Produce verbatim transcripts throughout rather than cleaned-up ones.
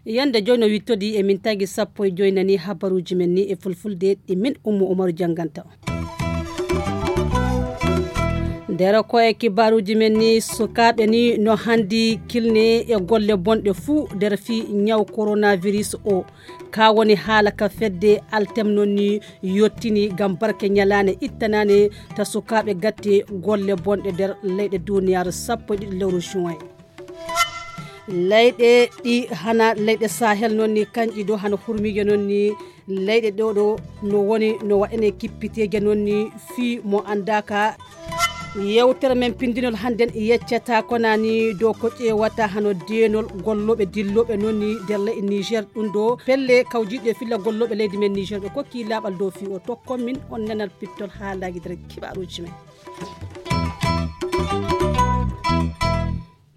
Yande joyi no wittodi e min tagi sappo e joyi nani habaruji men ni e fulfulde ɗi min Ummu Umaru jannganta. Nder ko e kibaruji men ni, sukaaɓe ni no handi kilne e golle bonɗe fuu nder fii ñaw coronavirus o. Ka woni haala ka fedde Altem non ni yottini ngam barke ñalaande ittanaande ta sukaaɓe gatte golle bonɗe nder leyɗe duniyaaru sappo e ɗiɗi lewru juin. Leyɗe ɗi hana leyɗe Sahel non ni kanƴi ɗo hano hurmiije non ni leyɗe ɗo ɗo no woni no waɗane kippiteeje non ni fii mo anndaaka. Yewtere men pindinol hannden yeccata konani dow ko ƴeewata hano deenol gollooɓe dillooɓe non ni nder leyɗe Niger ɗum ɗo pelle kawjiiɗe filla gollooɓe leydi men Niger ɓe kokki laaɓal dow fii o tokkon min on nanal pittol haalaaji nder kibaruuji men.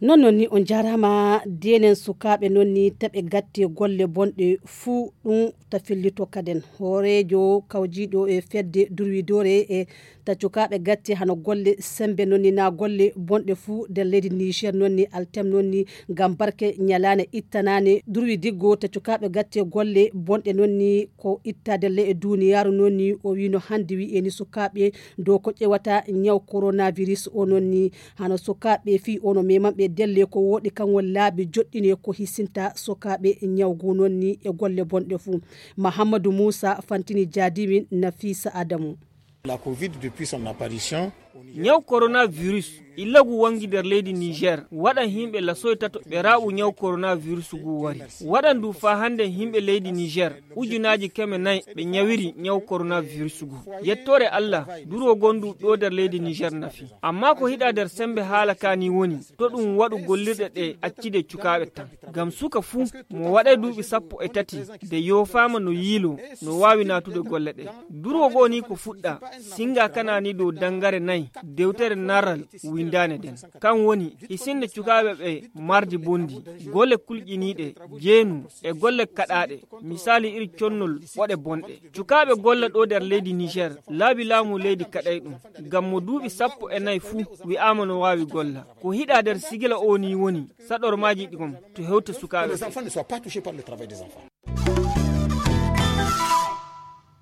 Non non ni on jarama denen sukaaɓe non ni taɓe gatte golle bonɗe fuu ɗum ta fillito kaden hooreejo kawjiiɗo e fedde durwidore e ta cukaaɓe gatte hano golle sembe non ni na golle bonɗe fuu nder leydi Niger non ni Altem non ni ngam barke ñalaane ittanaane durwi diggo ta cukaaɓe gatte golle bonɗe non ni ko ittaade le e duniyaaru non ni o wino hannde wi'e ni sukaaɓe dow ko ƴewata ñaw coronavirus o non ni hano sukaaɓe fii o no memanɓe delle ko wooɗi kan won laabi joɗɗine ko hisinta sukaaɓe ñaw gu non ni e golle bonɗe fuu. Mahammadu Muusa fantini jaadimin Nafisa Adamu. La covid depuis son apparition. Ñaw coronavirus illagu wangi nder leydi Niger waɗan himɓe lasoy tato ɓe raɓu ñaw coronavirus gu wari. Waɗan du fa hande himɓe leydi Niger ujunaaji keme nayi ɓe ñawiri ñaw coronavirus gu. Yettore Allah durwo gondu ɗo nder leydi Niger nafi. Amma ko hiɗa nder sembe haala kani woni to ɗum waɗu gollirɗe ɗe accide cukaaɓe tan. Ngam suka fuu mo waɗay duuɓi sappo e tati de yoofaama no yiilo no waawi naatude golle ɗe. Durwo goo ni ko fuɗɗa singa kana ni dow dangare nayi dewtere naral windaane nden. Kan woni hisinde cukaaɓe ɓe mardi bondi, golle kulƴiniiɗe, jeenu e golle kaɗaaɗe, misaali iri connol ɓoɗe bonɗe. Cukaaɓe golla ɗo nder leydi Niger laabi laamu leydi kaɗay ɗum. Ngam mo duuɓi sappo e nayi fuu wi'aama no waawi golla. Ko hiɗa nder sigila o ni woni saɗormaaji ɗi gom to hewta sukaaɓe.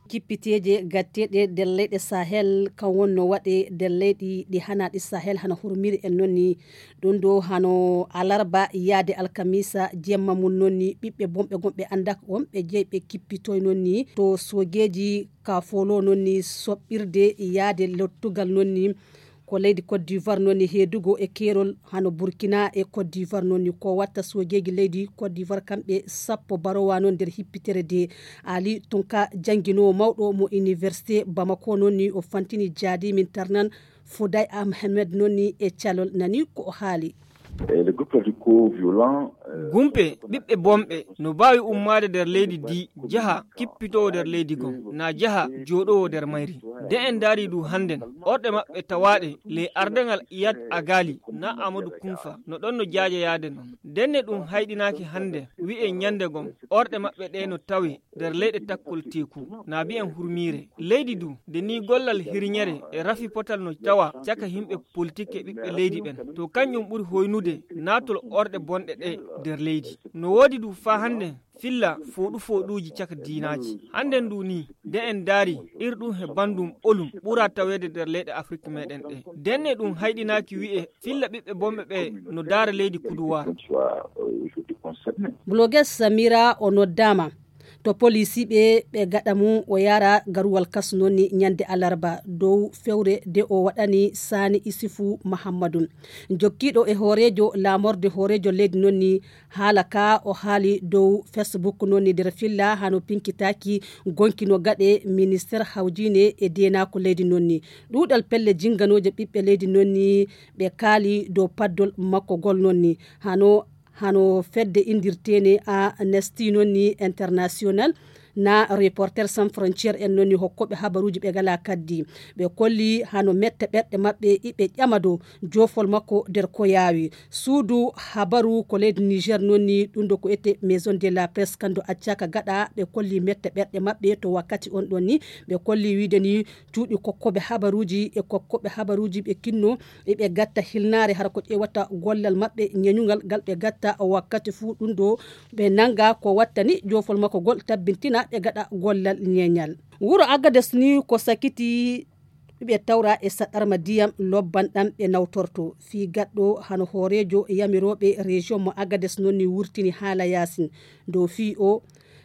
Kippiteeje gatteeɗe nder leyɗe Sahel kan wonno waɗe nder leyɗi ɗi hanaɗi Sahel hano hurmiri en nonni. Ɗum ɗo hano alarba yaade alkamisa jemma mum nonni ɓiɓɓe bonɓe gonɓe anndak on ɓe jeyi ɓe kippitoy nonni to sogeeji ka folo nonni soɓɓirde yaade lottugal nonni. Ko leydi Côte d'Ivoire noon ni heedugo e keerol hano Burkina e Côte d'Ivoire noon ni ko watta soojeeji leydi Côte d'Ivoire kamɓe sappo barowa noon nder hippitere de. Ali Tunka jannginoowo mawɗo mo Université Bamako noon ni o fantini jaadi min tarnan Fouday Ahmed noon ni e calol nani ko o haali. Gumpe ɓiɓɓe bonɓe no mbaawi ummaade nder leydi ndi njaha kippitoo nder leydi goo na njaha jooɗowoo nder mayri. Nde en ndaarii du hannden orɗe maɓɓe tawaaɗe ley ardaŋal Iyad Agali na Amadu Kunfa no ɗon no jaajayaade non. Ndenne ɗum hayɗinaaki hannde wi'en ñannde gom orɗe maɓɓe ɗee no tawee nder leyɗe takkol teeku na mbi'en hurmiire leydi du nde nii gollal hirñere e rafi potal no tawa caka yimɓe politik e ɓiɓɓe leydi ɓen to kanƴum ɓuri hoynude naatol orɗe bonɗe ɗe nder leydi. No woodi du faa hannde filla fooɗu fooɗuuji caka diinaaji. Hannden du nii nde en ndaari ir ɗum he banndum ɓolum ɓura taweede nder leyɗe Afrik meɗen ɗe. Ndenne ɗum hayɗinaaki wi'e filla ɓiɓɓe bonɓe ɓe no ndaara leydi kuduwaar. Blogueuse Samira o noddaama to poliisi ɓe ɓe gaɗa mum o yaara garuwal kas noon ni ñande alarba dow fewre de o waɗani Saani Isufu Mahammadun jokkiiɗo e hooreejo laamorde hooreejo leydi noon ni. Haala ka o haali dow Facebook noon ni nder filla hano pinkitaaki gonki no gaɗe minister hawjiine e deenaako leydi noon ni. Ɗuuɗal pelle jinnganooje ɓiɓɓe leydi noon ni ɓe kaali dow paddol makko gol noon ni hano hano fedde inndirteene Amnesty noon ni international na Reporter Sans Frontier en noon ni hokkooɓe habaruuji ɓe ngalaa kaddi. Ɓe kolli hano metta ɓerɗe maɓɓe iɓe ƴama dow joofol makko nder ko yaawi. Suudu habaru ko leydi Niger noon ni ɗum ɗo ko ete Maison de la Presse kandu accaka gaɗa ɓe kolli metta ɓerɗe maɓɓe to wakkati on ɗon ni ɓe kolli wiide ni cuuɗi kokkooɓe habaruuji e kokkooɓe habaruuji ɓe kinno eɓe gatta hilnaare hara ko ƴeewata gollal maɓɓe ñeñugal ngal ɓe gatta wakkati fuu ɗum ɗo ɓe nanga ko wattani joofol makko gol tabbintina ɓe gaɗa gollal ñeñal. Wuro Agades ni ko sakiti ɓe tawra e saɗarma diyam lobban ɗam ɓe nawtorto fii gaɗɗo hano hooreejo yamirooɓe région mo Agades noon ni wurtini haala yaasin dow fii o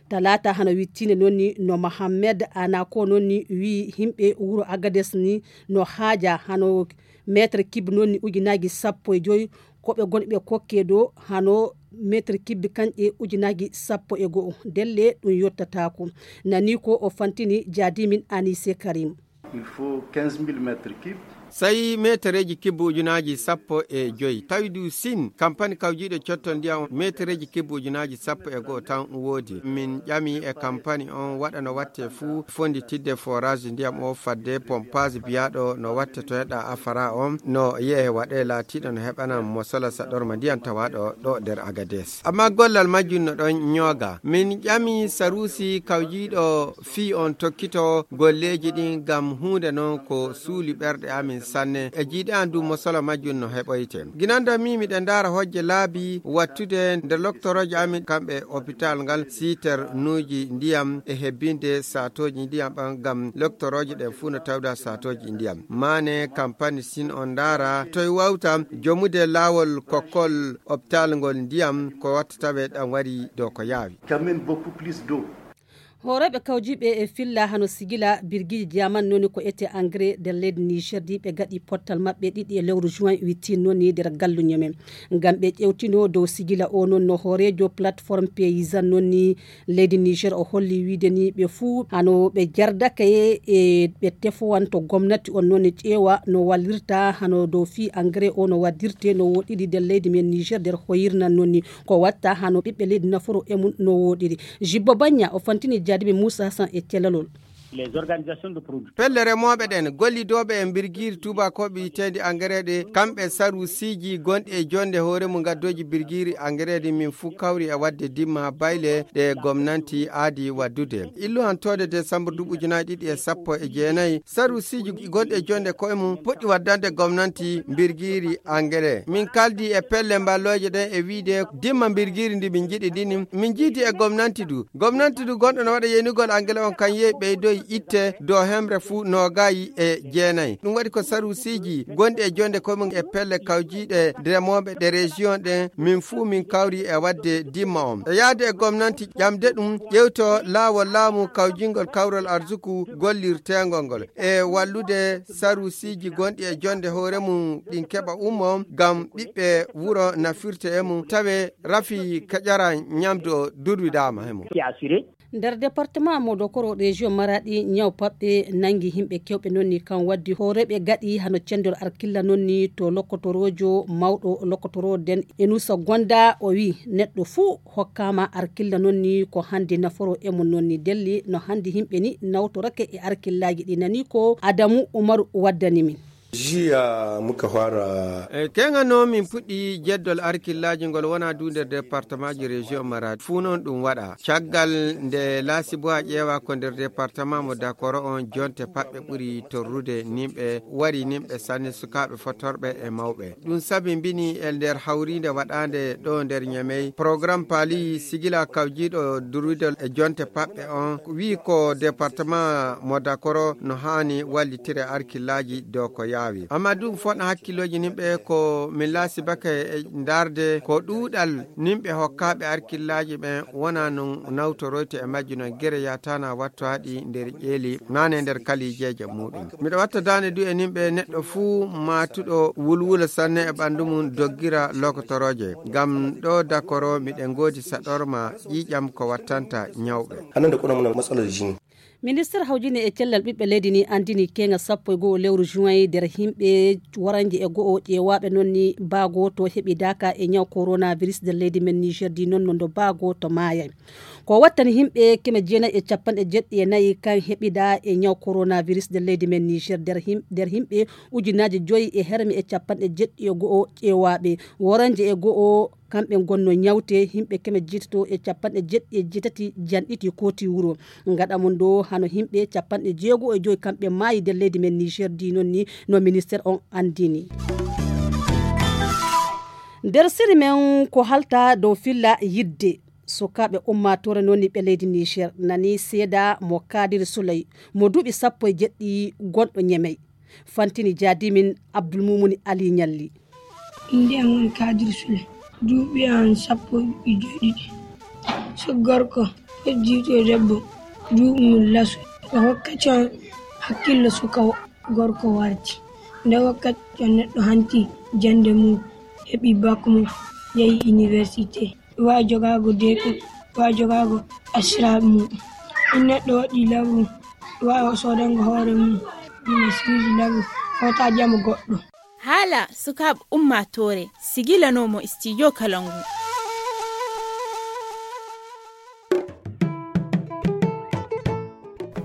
talaata hano wittine noon ni no Mohammed Anako noon ni wii himɓe wuro Agades ni no haaja hano meetre kib noon ni ujunaaji sappo e joyi ko ɓe gonɓe kokke dow hano meetre kib kanƴe ujunaaji sappo e go'o ndelle ɗum yottataako. Nani ko o fantini jaadimin Anise Karim. Il faut quinze mille mètres cubes. Sayi meetereeji kibbo ujunaaji sappo e joyi tawi du sin kampani kawjiiɗo cotto ndiyam meetereeji kibbo ujunaaji sappo e go'o tan woodi min ƴami e kampani on waɗa no watte fuu fonditidde forage ndiyam o fadde pompage biyaaɗo no watte to heɗa afara on no yehe waɗe laatiiɗo no heɓana mo sola saɗorma ndiyam tawaaɗo ɗo nder Agades amma gollal majjum no ɗon ñooga min ƴami saruusi kawjiiɗo fii on tokkito golleeji ɗin ngam huunde non ko suuli ɓerɗe amin sanne e jiiɗe an du mosolo majjum no heɓoyte ginanda mi miɗe ndaara hojje laabi wattude nde loktorooje amin kamɓe hôpital ngal siiter nuuji ndiyam e hebbinde saatooji ndiyam ɓan ngam loktorooje ɗen fuu no tawda saatooji ndiyam maane kampani sin on ndaara toy wawta jomude laawol kokkol hôpital ngol ndiyam ko watta tawe ɗam wari dow ko yaawi. Quand même beaucoup plus d'eau. Hooreeɓe kawjiiɓe e filla hano sigila birgiiji jaman nooni ko ete engrais nder leydi Niger di ɓe gaɗi pottal maɓɓe ɗiɗi e lewru juin wittin nooni nder galluñe men ngam ɓe ƴewtino dow sigila o noon no hooreejo plateforme paysan nooni leydi Niger o holli wiide ni ɓe fuu hano ɓe jardake e ɓe tefowanto gomnati on nooni ƴeewa no wallirta hano dow fii engrais o no waddirte no woɗɗiri nder leydi men Niger nder hoyirnan nooni ko watta hano ɓiɓɓe leydi naforo e mum no woɗɗiri. Jibbo Bagna o fantini jaadiɓe Moussa Hassan e telalol. Pelle remooɓe ɗen gollidooɓe e mbirgiiri tuubakooɓe yiteende engrais ɗe kamɓe saruusiiji gonɗi e jonde hoore mum gaddooji birgiiri engrais ɗi min fuu kawri e waɗde dimma bayle ɗe gomnanti aadi waddude illuhantoode desambur duuɓi ujunaaji ɗiɗi e sappo e jeenayi saruusiiji gonɗi e jonde koye mum puɗɗi waddande gomnanti mbirgiiri engrais min kaldi e pelle mballooje ɗen e wiide dimma mbirgiiri ndi min njiɗi ndini min njiidi e gomnanti du gomnanti du gonɗo no waɗa yenugol angele on kan yehi ɓeydoyi itte dow hemre fuu noogayi e jeenayi ɗum waɗi ko saruusiiji gonɗi e jonde koye mum e pelle kawjiiɗe remooɓe ɗe région ɗen min fuu min kawri e waɗde dimma on e yahde e gomnanti ƴamde ɗum ƴewto laawol laamu kawjingol kawrol arsuku gollirteengol ngol e wallude saruusiiji gonɗi e jonde hoore mum ɗin keɓa ummo ngam ɓiɓɓe wuro nafirte e mum tawe rafi kaƴara ñamdu o durwidaama e mum. Nder département mo Dokoro région Maradi ñaw paɓɓe nangi himɓe kewɓe nonni kan waddi hooreɓe gaɗi hano cendol arkilla nonni to lokkotoroojo mawɗo lokkotoro den Enusa Gonda o wi neɗɗo fuu hokkama arkilla nonni ko hande naforo e mum nonni delli no hande himɓe ni nawtorake e arkillaaji ɗi nani ko Adamu Umaru waddani min. Jiya muka fara. E keŋa no min puɗɗi jeddol arkillaaji ngol wona du nder département ji région Maradi fuu noon ɗum waɗa caggal nde laasibo a ƴeewa ko nder département mo Dakoro on jonte paɓɓe ɓuri torrude nimɓe wari nimɓe sanne sukaaɓe fotorɓe e mawɓe. Ɗum sabi mbini e nder hawriinde waɗaande ɗo nder Ñemey, programme paali sigila kawjiiɗo durwidol e jonte paɓɓe on, wi'i ko département mo Dakoro no haani wallitire arkillaaji dow ko yaawi. Amma ɗum fotna hakkillooji nimɓe ko min laasibake e ndaarde ko ɗuuɗal nimɓe hokkaaɓe arkillaaji ɓen wona non nawtoroyte e majji non gere yatana wattoaɗi nder ƴeeli nane nder kalijeeje muɗum. Miɗo watta daande du e nimɓe neɗɗo fuu maatuɗo wulwula sanne e ɓanndu mum doggira lokotorooje ngam ɗo dakoro miɗen ngoodi saɗorma ƴiiƴam ko wattanta ñawɓe. Hannde kono mum matsalar jini. Minister hawjine e cellal ɓiɓɓe leydi ni anndini keeŋa sappo e go'o lewru juin nder himɓe waranje e go'o ƴeewaaɓe noon ni baa gooto heɓidaaka e ñaw coronavirus nder leydi men Niger di noon no ndo baa gooto maayay. Ko wattani himɓe keme jeenayi e capanɗe jeɗɗi e nayi kan heɓidaa e ñaw coronavirus nder leydi men Niger nder him-, nder himɓe ujunaaji joyi e herme e capanɗe jeɗɗi e go'o ƴeewaaɓe. Woranje e go'o kamɓe ngonno ñawte, himɓe keme jeetato e capanɗe jeɗɗi e jeetati janɗiti kooti wuro. Gaɗa mon ɗo hano himɓe capanɗe jeego e joyi kamɓe maayi nder leydi men Niger di noon ni no minister on anndini. Nder siri men ko halta dow filla yidde sukaaɓe ummaatoore noon ni ɓe leydi Niger nani seeda mo Kadir Souley mo duuɓi sappo e jeɗɗi gonɗo Ñemey. Fantini jaadimin Abdulmumuni Ali Ñalli. Innde am woni Kadir Sule, duuɓi am sappo e joy ɗiɗi. So gorko, foddiiɗo debbo, duuɓi mum laso. E wakkati on, hakkillo suka wo-, gorko warti. Nde wakkati on, neɗɗo hanti jannde mum, heɓi bak mum, yehi université. Wa jogaago deeɗum, wa jogaago asiraaɓe mum. In neɗɗo waɗi labu, wa o soodango hoore mum, ina suuji labu, hota ƴama goɗɗo. Haala sukaaɓe ummaatoore, sigilanoomo studio kala ngu.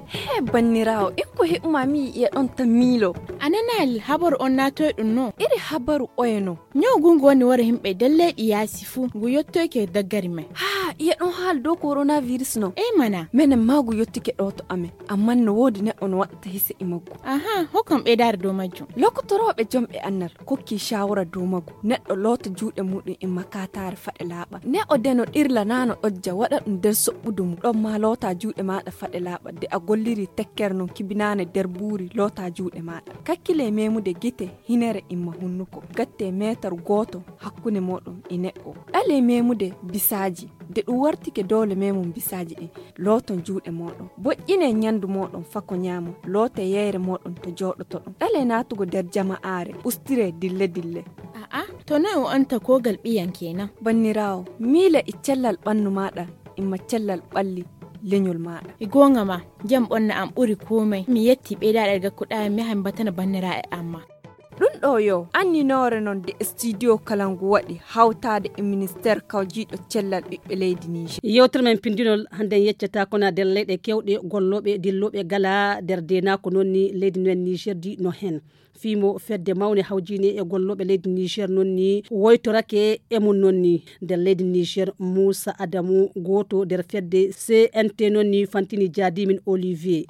He banniraawo, ikko heɓuma mi yi'e ɗon tan miilo. A nanaali habaru on naatoyɗum no? Iri habaru oye no? Ñaw ngu ngu woni wara yimɓe nder leyɗi yaasi fuu, ngu yottoyke daggari men. Haa, iye ɗon haala dow coronavirus no? Ey mana. Menen maa ngu yottike ɗo to amen, ammaa no woodi neɗɗo no waɗata hise e maggu. Aha, hokkam ɓeydaare dow majjum. Lokotorooɓe jomɓe annal kokki shawara dow maggu. Neɗɗo loota juuɗe muɗum e makataare faɗe laaɓa. Ne o deno ɗirla naa no ɗojja waɗa ɗum nder soɓɓudu mum. Ɗon maa loota juuɗe maaɗa faɗe laaɓa. De a golliri tekkere non kibinaane nder buuri loota juuɗe maaɗa. Kakkile memude gite hinere imma hunnuko. Gatte meetar gooto hakkunde mooɗon e neɗɗo. Ɗale memude bisaaji. De ɗum wartike doole memum bisaaji ɗin, looton juuɗe mooɗon. Boƴƴine ñandu mooɗon fako ñaamon. Loote yeyre mooɗon to jooɗotoɗon. Ɗale naatugo nder jama'aare. Ustire dille dille. A'a, to noy o anta kogal ɓiyan kenan? Banniraawo, miile e cellal ɓannu maaɗa, imma cellal ɓalli leñol maaɗa. E goonga ma, jam ɓonna am ɓuri komai. Mi yetti ɓeydaaɗe gakkuɗaa mi yaha mi batana banniraaɓe am ma. Ɗum ɗo yo anninoore noon de studio kala ngu waɗi hawtaade e ministeer kawjiiɗo cellal ɓiɓɓe leydi Niger. Yewtere men pinndinol hannden yeccata ko na nder leyɗe keewɗe gollooɓe dillooɓe gala nder deenaako noon ni leydi men Niger di no heen. Fii mo fedde mawne hawjiine e gollooɓe leydi Niger noon ni woytorake e mum noon ni nder leydi Niger Muusa Adamu gooto nder fedde C N T noon ni fantini jaadimin Olivier.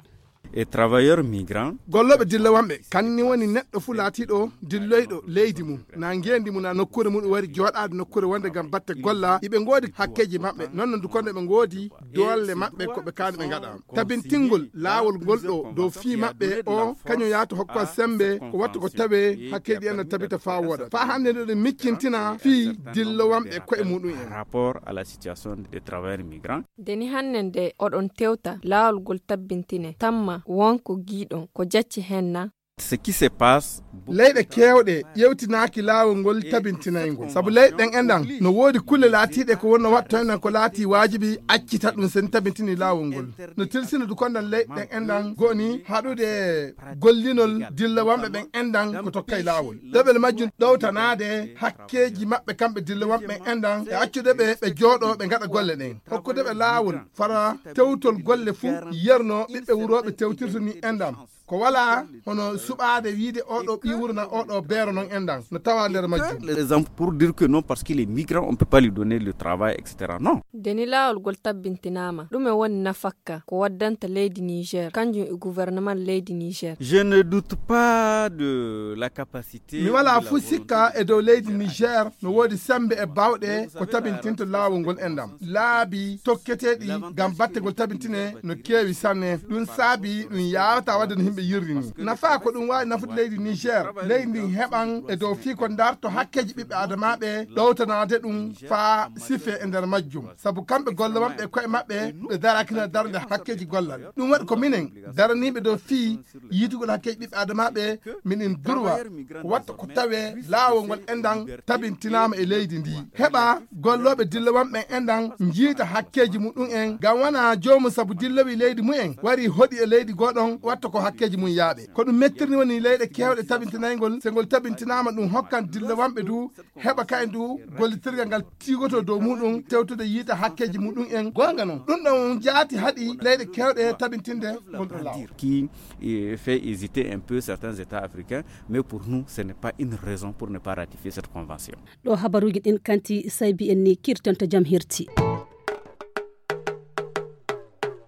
E travailleur migrant. Gollooɓe dillowamɓe kanni woni neɗɗo fuu laatiiɗo dilloyɗo leydi mum na ngeendi mum na nokkuure mum wari jooɗaade nokkuure wonde ngam batte golla iɓe ngoodi hakkeeji maɓɓe noon no dukonde ɓe ngoodi doole maɓɓe ko ɓe kaani ɓe ngaɗa tabintingol laawol ngol ɗo dow fii maɓɓe o kañum yaata hokka sembe ko wattu ko tawe hakkeeji en no tabita faa wooda faa hannde nde ɗum miccintina fii dillowamɓe koye muɗum en. Rapport à la situation des travailleurs migrants. Deni hannde nde oɗon tewta laawol ngol tabbintine tamma wonko giiɗon ko jacci heen na? Ce qui se passe. Leyɗe keewɗe ƴewtinaaki laawol ngol tabintinayngol sabu leyɗe ɗen enɗan no woodi kulle laatiiɗe ko wonno waɗtoynan ko laati waajibi accita ɗum sen tabintini laawol ngol no tilsina dukondan leyɗe ɗen enɗan goni haɗude gollinol dillowamɓe ɓen enɗan ko tokkay laawol ɗeɓel majjum ɗowtanaade hakkeeji maɓɓe kamɓe dillowamɓe ɓen enɗan e accude ɓe ɓe jooɗo ɓe ngaɗa golle ɗen hokkude ɓe laawol fara tewtol golle fuu yerno ɓiɓɓe wurooɓe tewtirta ni enɗan ko wala hono suɓaade wiide oɗo ɓi wuro na oɗo beero non enɗan no tawa nder majjum. Les hommes pour dire que non parce que les migrants on peut pas lui donner le travail et cetera non. Deni laawol ngol tabbintinaama ɗume woni nafakka ko waddanta leydi Niger kanjum e gouvernement leydi Niger? Je ne doute pas de la capacité. Mi wala fuu sikka e dow leydi Niger no woodi sembe e bawɗe ko tabintinta laawol ngol enɗan laabi tokketeeɗi ngam batte ngol tabintine no keewi sanne ɗum saabi ɗum yawata wadde no himɓe yirri ni. Nafa ko ɗum waawi nafude leydi Niger, leydi ndin heɓan e dow fii ko darto hakkeeji ɓiɓɓe adamaaɓe, ɗowtanaade ɗum faa sife e nder majjum. Sabu kamɓe golle maɓɓe e koye maɓɓe, ɓe daraakina darnde hakkeeji gollal. Ɗum waɗi ko minen daraniiɓe dow fii yiitugol hakkeeji ɓiɓɓe adamaaɓe, minen durwa watta ko tawee laawol ngol enɗan tabintinaama e leydi ndi. Heɓa gollooɓe dillowam ɓen enɗan njiita hakkeeji muɗum en, ngam wona joomu sabu dillowi leydi mumen wari hoɗi e leydi goɗon watta ko hakkeeji mum yaaɓe. Ko ɗum mettirni woni leyɗe keewɗe tabintinayngol, so ngol tabintinaama ɗum hokkan dillowamɓe du heɓa kayen du gollitirgal ngal tiigoto dow muɗum, tewtude yiita hakkeeji muɗum en. Goonga non, ɗum ɗon jaati haɗi leyɗe keewɗe tabintinde ngol ɗon laawol. Qui euh, fait hésiter un peu certains États africains, mais pour nous, ce n'est pas une raison pour ne pas ratifier cette convention. Ɗo habaruuji ɗin kanti saybi en ni kirtanto jam hirti.